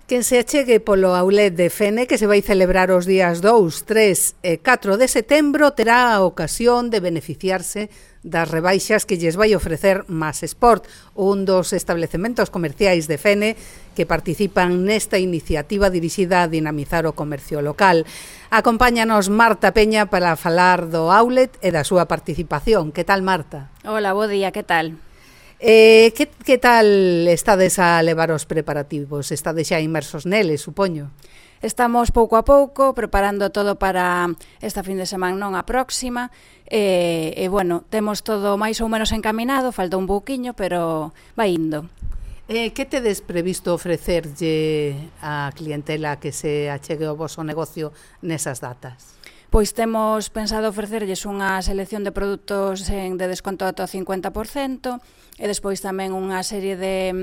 Quen se achegue polo Outlet de Fene, que se vai celebrar os días 2, 3 e 4 de setembro, terá a ocasión de beneficiarse das rebaixas que lles vai ofrecer Mas Sport, un dos establecementos comerciais de Fene que participan nesta iniciativa dirixida a dinamizar o comercio local. Acompáñanos Marta Peña para falar do Outlet e da súa participación. Que tal, Marta? Hola, bo día, que tal? Que tal estades a levar os preparativos? Estades xa inmersos neles, supoño? Estamos pouco a pouco preparando todo para esta fin de semana, non a próxima, e bueno, temos todo máis ou menos encaminado, falta un pouquiño, pero vai indo. Que tedes previsto ofrecerlle á clientela que se achegue ao voso negocio nesas datas? Pois temos pensado ofrecerlles unha selección de produtos de desconto ata o 50% e despois tamén unha serie de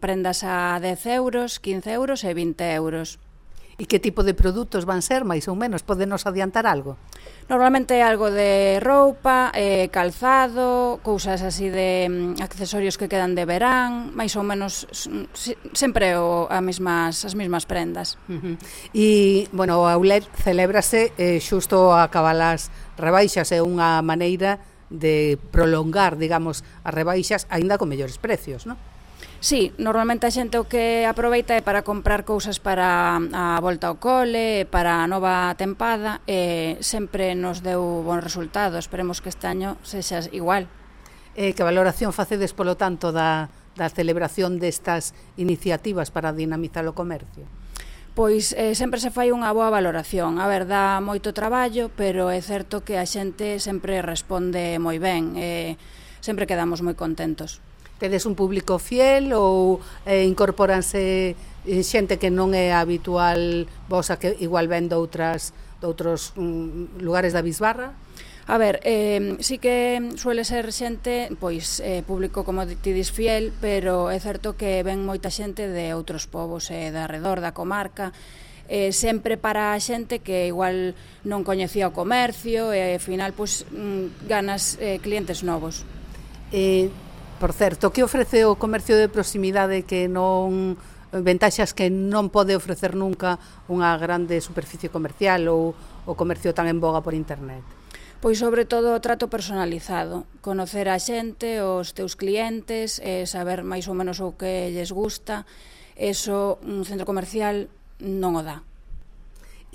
prendas a 10 euros, 15 euros e 20 euros. E que tipo de produtos van ser, máis ou menos? Podenos adiantar algo? Normalmente algo de roupa, calzado, cousas así de accesorios que quedan de verán, máis ou menos sempre as mesmas prendas. E, bueno, o Outlet celébrase xusto a cabalas rebaixas, é unha maneira de prolongar, digamos, as rebaixas aínda con mellores precios, non? Sí, normalmente a xente o que aproveita é para comprar cousas para a volta ao cole, para a nova tempada, e sempre nos deu bon resultado. Esperemos que este año sexa igual. Que valoración facedes, polo tanto, da celebración destas iniciativas para dinamizar o comercio? Pois sempre se fai unha boa valoración. A ver, dá moito traballo, pero é certo que a xente sempre responde moi ben. Sempre quedamos moi contentos. Tedes un público fiel ou incorporanse xente que non é habitual vosa, que igual ven de outros lugares da Bisbarra? A ver, sí que suele ser xente, pois, público, como ti dis, fiel, pero é certo que ven moita xente de outros povos de arredor da comarca, sempre para a xente que igual non coñecía o comercio e, ao final, pois, ganas clientes novos. Por certo, que ofrece o comercio de proximidade que non ventaxas que non pode ofrecer nunca unha grande superficie comercial ou o comercio tan en boga por internet? Pois sobre todo o trato personalizado, conocer a xente, os teus clientes, saber máis ou menos o que lles gusta, eso un centro comercial non o dá.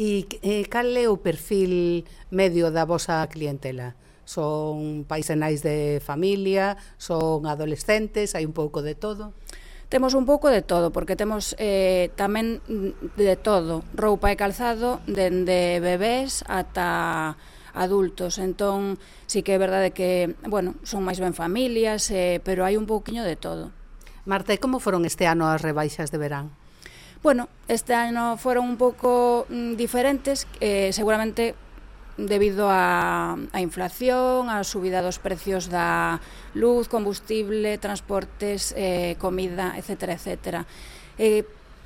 E cal é o perfil medio da vosa clientela? Son paisenais de familia, son adolescentes, hai un pouco de todo? Temos un pouco de todo, porque temos tamén de todo, roupa e calzado, dende bebés ata adultos. Entón, sí que é verdade que, bueno, son máis ben familias, pero hai un pouquiño de todo. Marta, e como foron este ano as rebaixas de verán? Bueno, este ano foron un pouco diferentes, seguramente debido á inflación, á subida dos precios da luz, combustible, transportes, comida, etcétera, etcétera.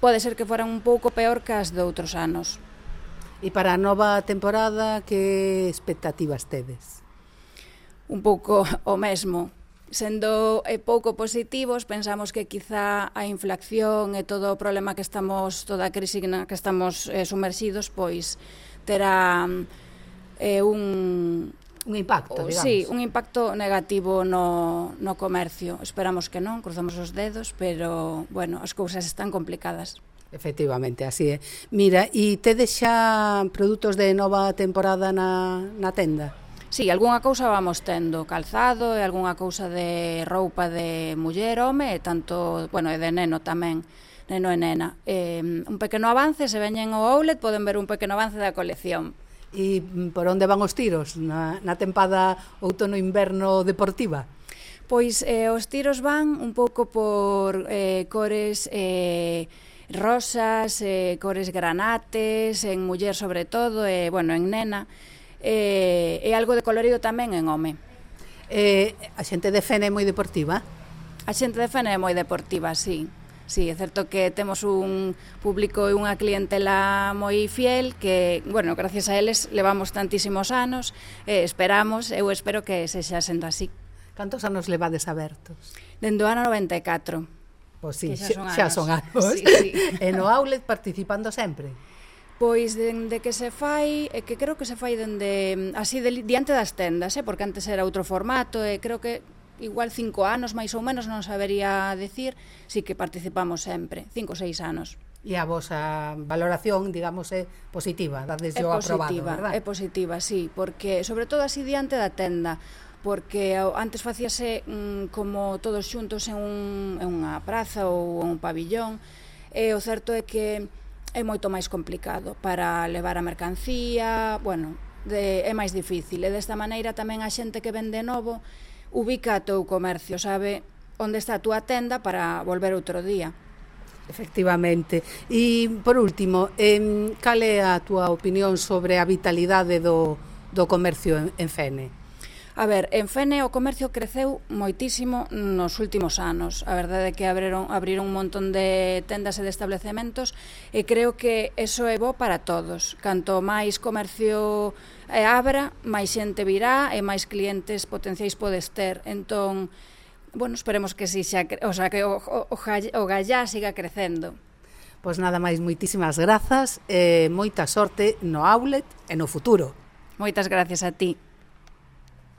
Pode ser que foran un pouco peor que as de outros anos. E para a nova temporada, que expectativas tedes? Un pouco o mesmo. Sendo pouco positivos, pensamos que quizá a inflación e todo o problema que estamos, toda a crise na que estamos sumerxidos, pois terá un impacto, digamos. Sí, un impacto negativo no comercio. Esperamos que non, cruzamos os dedos, pero, bueno, as cousas están complicadas. Efectivamente, así é. Mira, e tedes xa produtos de nova temporada na tenda? Sí, algunha cousa vamos tendo, calzado e algunha cousa de roupa de muller, home, e tanto, bueno, e de neno tamén, neno e nena. Un pequeno avance, se veñen ao Outlet, poden ver un pequeno avance da colección. E por onde van os tiros na tempada outono-inverno deportiva? Pois os tiros van un pouco por cores rosas, cores granates, en muller sobre todo, e, bueno, en nena, e algo de colorido tamén en home. A xente de Fene é moi deportiva? A xente de Fene é moi deportiva, sí. Sí, é certo que temos un público e unha clientela moi fiel que, bueno, gracias a eles levamos tantísimos anos, esperamos, eu espero que sexa sendo así. Cantos anos levades abertos? Dende o ano 94. Pois sí, que xa son anos. Sí, sí. E no outlet participando sempre? Pois dende que se fai, que creo que se fai dende así diante das tendas, porque antes era outro formato, e creo que igual 5 anos máis ou menos, non sabería decir, sí que participamos sempre, 5 ou 6 anos. E a vosa valoración, digamos, é positiva, dades o aprobado, verdad? É positiva, sí, porque sobre todo así diante da tenda, porque antes facíase como todos xuntos en unha praza ou un pabillón, e o certo é que é moito máis complicado para levar a mercancía, bueno, é máis difícil, e desta maneira tamén a xente que vende novo ubica o teu comercio, sabe onde está a túa tenda para volver outro día. Efectivamente. E, por último, cal é a túa opinión sobre a vitalidade do comercio en Fene? A ver, en Fene o comercio creceu moitísimo nos últimos anos. A verdade é que abriron un montón de tendas e de establecementos e creo que eso é bo para todos. Canto máis comercio abra, máis xente virá e máis clientes potenciais podes ter. Entón, bueno, esperemos que si que o gallá siga crecendo. Pois nada máis, moitísimas grazas e moita sorte no outlet e no futuro. Moitas gracias a ti.